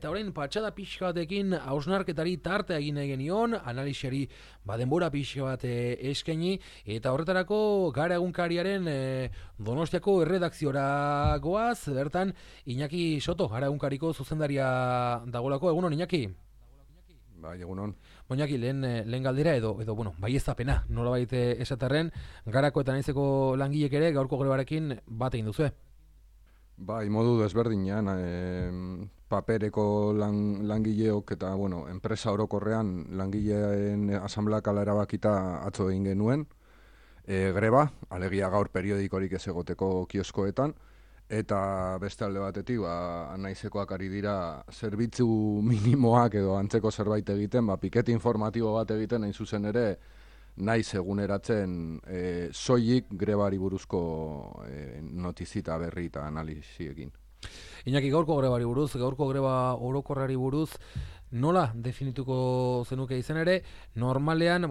Eta orain patxada pixka batekin hausnarketari tartea egin nahi genion, analisiari denbora pixka bat eskaini, eta horretarako Gara Egunkariaren Donostiako erredakziora goaz, bertan Iñaki Soto, Gara Egunkariko zuzendaria dagolako. Egunon, Iñaki? Bai, egunon. Iñaki, lehen galdera edo bai ez da pena, nola baite esaterren, Garako eta Naizeko langilek ere gaurko grebarekin bat egin duzue. Bai, modu desberdinean, papereko langileok eta, enpresa orokorrean langileen asamblea erabakita atzo egin genuen, greba, alegia gaur periodikorik ez egoteko kioskoetan, eta beste alde batetik, Naizekoak ari dira zerbitzu minimoak edo antzeko zerbait egiten, pikete informatibo bat egiten, hain zuzen ere, Naiz eguneratzen soilik grebari buruzko notizita berri eta analiziekin. Iñaki, gaurko grebari buruz, gaurko greba orokorrari buruz, nola definituko zenuke izan ere, normalean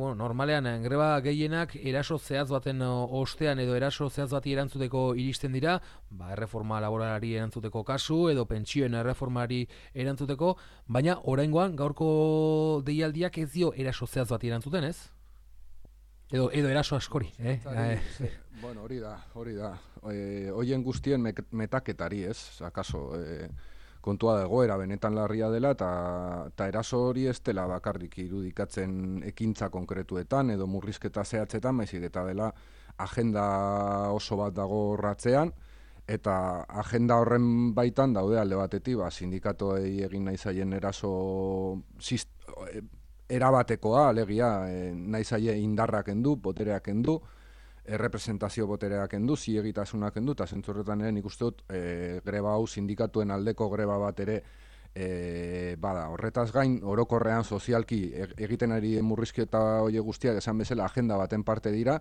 greba gehienak eraso zehatz baten ostean edo eraso zehatz bati erantzuteko iristen dira, erreforma laboralari erantzuteko kasu edo pentsioen erreformari erantzuteko, baina oraingoan gaurko deialdiak ez dio eraso zehatz bati erantzuten, ez? Edo eraso askori, Bueno, hori da. Hoien guztien metaketari, ez? Akaso, kontua da egoera benetan larria dela eta eraso hori ez dela bakarrik irudikatzen ekintza konkretuetan edo murrizketa zehatzetan, baizik eta dela agenda oso bat dago ratzean, eta agenda horren baitan daude alde batetik, sindikatuei egin nahi zaien eraso erabatekoa, alegia, nahi zaie indarrak endu, botereak endu, representazio botereak endu, zilegitasunak endu, eta zentzurretan nik uste dut greba hau sindikatuen aldeko greba bat ere bada. Horretaz gain, orokorrean sozialki egiten ari murrizketa hori guztiak esan bezala agenda baten parte dira,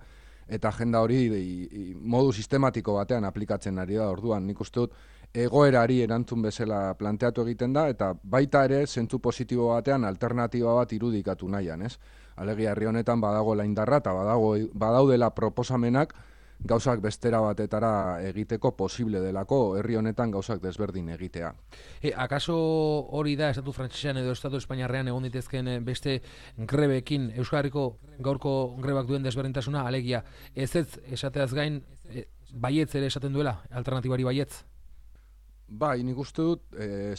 eta agenda hori modu sistematiko batean aplikatzen ari da. Orduan, nik uste dut egoerari erantzun bezala planteatu egiten da, eta baita ere zentzu positibo batean alternatiba bat irudikatu nahian, ez? Alegia, herri honetan badagoela indarra eta badaudela proposamenak gauzak bestera batetara egiteko posible delako, herri honetan gauzak desberdin egitea. Akaso hori da, estatu frantsesean edo estatu espainiarrean egon ditezken beste grebekin Euskal Herriko gaurko grebak duen desberdintasuna, alegia, ez esateaz gain, baietz ere esaten duela, alternatibari baietz? Bai, nik uste dut,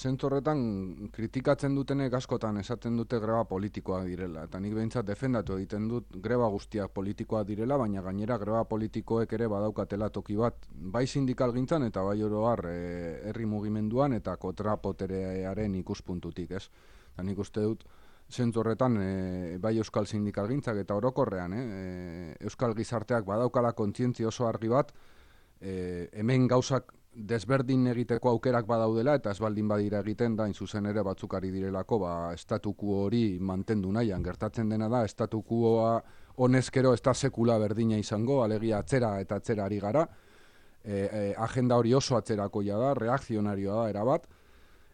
zentzu horretan kritikatzen dutenek askotan esaten dute greba politikoak direla. Eta nik behintzat defendatu egiten dut greba guztiak politikoak direla, baina gainera greba politikoek ere badaukatela toki bat, bai sindikal gintzan eta bai oro har herri mugimenduan eta kontrapoterearen ikuspuntutik, ez? Eta nik uste dut, zentzu horretan, bai euskal sindikal gintzak eta orokorrean, euskal gizarteak badaukala kontzientzia oso argi bat, hemen gauzak desberdin egiteko aukerak badaudela eta ez baldin badira egiten da, zuzen ere batzuk ari direlako estatuko hori mantendu nahian. Gertatzen dena da, estatukoa honezkero ez da sekula berdina izango, alegia atzera eta atzera ari gara, agenda hori oso atzerakoia da, reakzionarioa da erabat,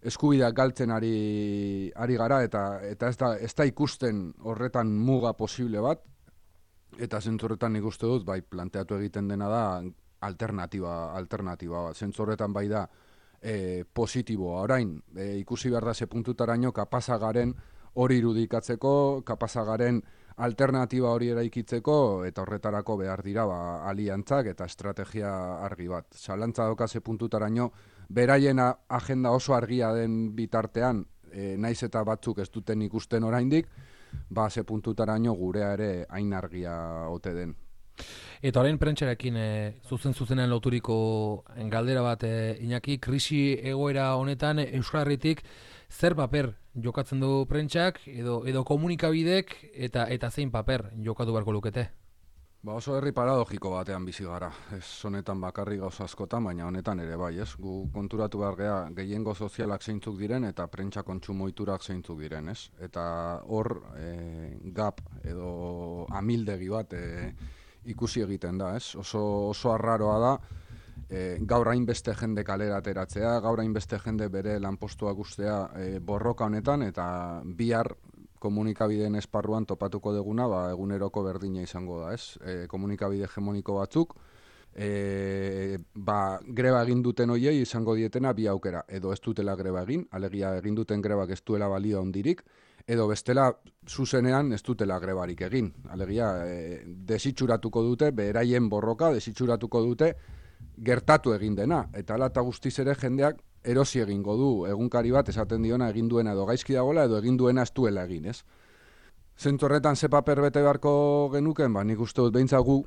eskubideak galtzen ari gara eta ez da ikusten horretan muga posible bat, eta zentzurretan nik uste dut, planteatu egiten dena da, alternatiba bat. Zentzorretan bai da positiboa. Orain, ikusi behar da ze puntutaraino kapazagaren hori irudikatzeko, kapazagaren alternatiba hori eraikitzeko, eta horretarako behar dira aliantzak eta estrategia argi bat. Zalantza doka ze puntutaraino, beraien agenda oso argia den bitartean, naiz eta batzuk ez duten ikusten oraindik, ze puntutaraino gurea ere hain argia ote den. Eta orain prentxarekin zuzenean loturiko galdera bat, Iñaki, krisi egoera honetan Euskal Herritik zer paper jokatzen du prentxak edo komunikabidek eta zein paper jokatu beharko lukete? Oso herri paradogiko batean bizi gara. Ez honetan bakarrik gauza askotan, baina honetan ere bai, ez? Gu konturatu behar gea gehiengo sozialak zeintzuk diren eta prentsa kontsumo ohiturak zeintzuk diren, ez? Eta hor gap edo amildegi bat ikusi egiten da, ez? Oso arraroa da, gaur hainbeste jende kalera ateratzea, gaur hainbeste jende bere lanpostuak ustea borroka honetan, eta bihar komunikabideen esparruan topatuko duguna, eguneroko berdina izango da, ez? Komunikabide hegemoniko batzuk, greba egin duten hoiei izango dietena bi aukera, edo ez dutela greba egin, alegia egin duten grebak ez duela balio handirik, edo bestela zuzenean ez dutela grebarik egin. Alegia, desitxuratuko dute, beraien borroka desitxuratuko dute gertatu egin dena. Eta ala eta guztiz ere jendeak erosi egingo du egunkari bat esaten diona egin duena edo gaizki dagoela edo egin duena ez duela egin, ez? Zentzu horretan ze paper bete beharko genuken, nik uste dut behintzat gu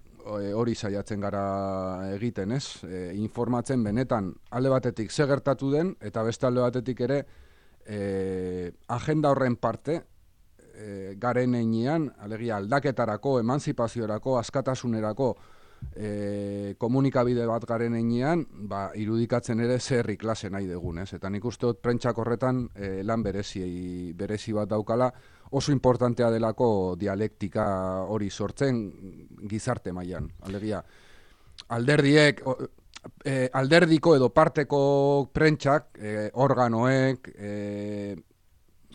hori saiatzen gara egiten, ez? Informatzen benetan alde batetik ze gertatu den eta beste alde batetik ere agenda horren parte garen heinean, alegia aldaketarako, emantzipaziorako, askatasunerako komunikabide bat garen heinean, irudikatzen ere zerri klase nahi dugun, ez? Eta nik uste dut prentsak horretan lan berezi bat daukala, oso importantea delako dialektika hori sortzen gizarte mailan. Alegia, alderdiek, alderdiko edo parteko prentsak, organoek,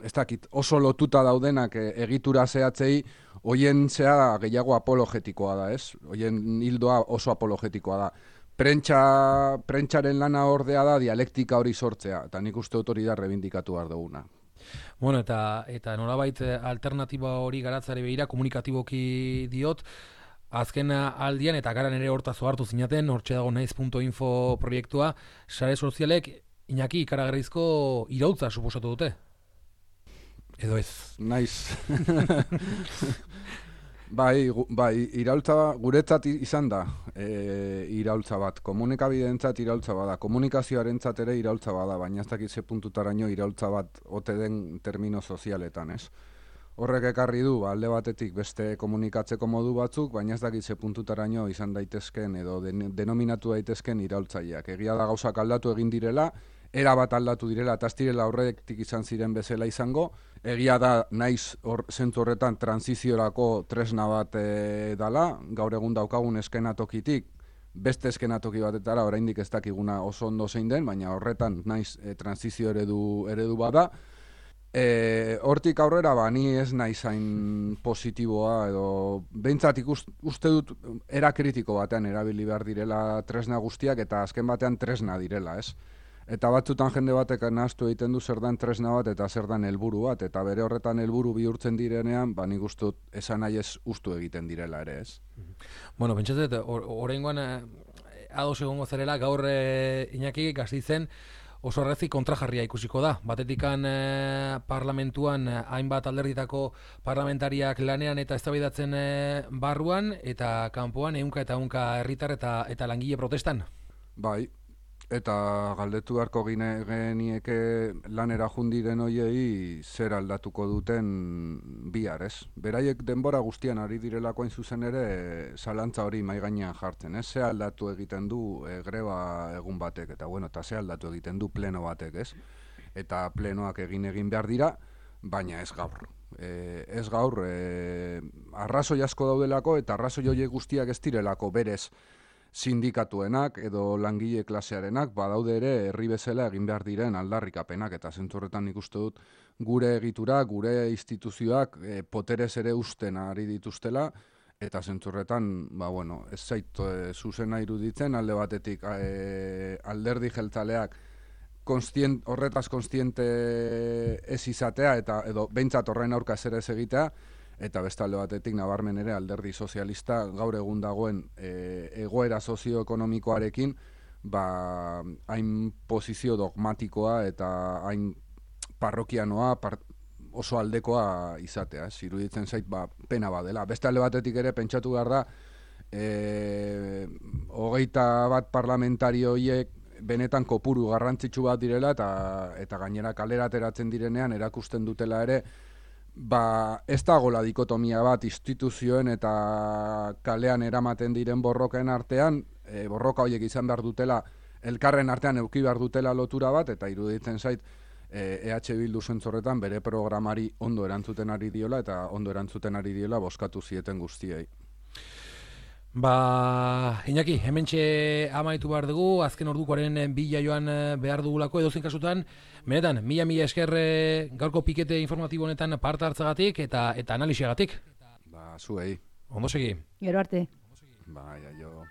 ez dakit, oso lotuta daudenak egitura zehatzei, hoien zea gehiago apologetikoa da, ez? Hoien hildoa oso apologetikoa da. Prentsaren lana ordea da dialektika hori sortzea, eta nik uste dut hori da rebindikatu behar duguna. Bueno, eta nolabait alternatiba hori garatzari begira komunikatiboki diot, azken aldian eta garan ere hortaz ohartu zinaten, hortxe dago naiz.info proiektua, sare sozialek Iñaki ikaragarrizko iraultza suposatu dute. Edo ez? Naiz. Bai, iraultza guretzat izan da iraultza bat. Komunikabideentzat iraultza bada. Komunikazioarentzat ere iraultza bada, baina ez dakit ze puntutaraino iraultza bat ote den termino sozialetan, ez? Horrek ekarri du, alde batetik beste komunikatzeko modu batzuk, baina ez dakit ze puntutaraino izan daitezken edo denominatu daitezken iraultzaileak. Egia da gauzak aldatu egin direla, era bat aldatu direla, eta ez direla horretik izan ziren bezala izango. Egia da, naiz zentzu horretan transiziorako tresna bat dala, gaur egun daukagun eskenatokitik, beste eskenatoki batetara, oraindik ez dakiguna oso ondo zein den, baina horretan naiz transizio eredu bada. Hortik aurrera, ni ez naiz hain positiboa, edo behintzat uste dut era kritiko batean erabili behar direla tresna guztiak, eta azken batean tresna direla, ez? Eta batzutan jende batek nahaztu egiten du zer dan tresna bat eta zer dan helburu bat, eta bere horretan helburu bihurtzen direnean, nik uste dut esan nahi ez ustu egiten direla ere, ez? Bueno, pentsatzen, oraingoan ados egongo zerela, gaur Iñaki Gasteizen oso errezi kontrajarria ikusiko da. Batetikan parlamentuan hainbat alderditako parlamentariak lanean eta eztabaidatzen barruan, eta kanpoan ehunka eta ehunka herritar eta langile protestan. Bai. Eta galdetu beharko genieke lanera jundiren hoiei zer aldatuko duten bihar, ez? Beraiek denbora guztian ari direlako hain zuzen ere zalantza hori mahai gainean jartzen, ez? Ze aldatu egiten du greba egun batek, eta ze aldatu egiten du pleno batek, ez? Eta plenoak egin behar dira, baina ez gaur. Ez gaur, arrazoi asko daudelako eta arrazoi horiek guztiak ez direlako berez sindikatuenak edo langile klasearenak, badaude ere herri bezala egin behar diren aldarrikapenak, eta zentzu horretan nik uste dut gure egitura, gure instituzioak poterez ere usten ari dituztela, eta zentzu horretan, ez zait zuzena iruditzen, alde batetik alderdi jeltzaleak horretaz konstiente ez izatea, edo behintzat horren aurka zer ez egitea, eta beste alde batetik nabarmen ere alderdi sozialista gaur egun dagoen egoera sozioekonomikoarekin hain posizio dogmatikoa eta hain parrokianoa oso aldekoa izatea, iruditzen zait pena badela. Beste alde batetik ere pentsatu behar da 21 parlamentario horiek benetan kopuru garrantzitsu bat direla eta gainera kalera ateratzen direnean erakusten dutela ere ez dagoela dikotomia bat instituzioen eta kalean eramaten diren borroken artean, borroka horiek izan behar dutela, elkarren artean eduki behar dutela lotura bat, eta iruditzen zait EH Bildu zentzorretan bere programari ondo erantzuten ari diola, eta ondo erantzuten ari diola bozkatu zieten guztiei. Iñaki, hementxe amaitu behar dugu, azken ordukoaren bila joan behar dugulako, edozein kasutan, benetan, mila esker gaurko pikete informatibo honetan parte hartzagatik eta analisiagatik. Zuei. Ondo segi. Gero arte. Jo.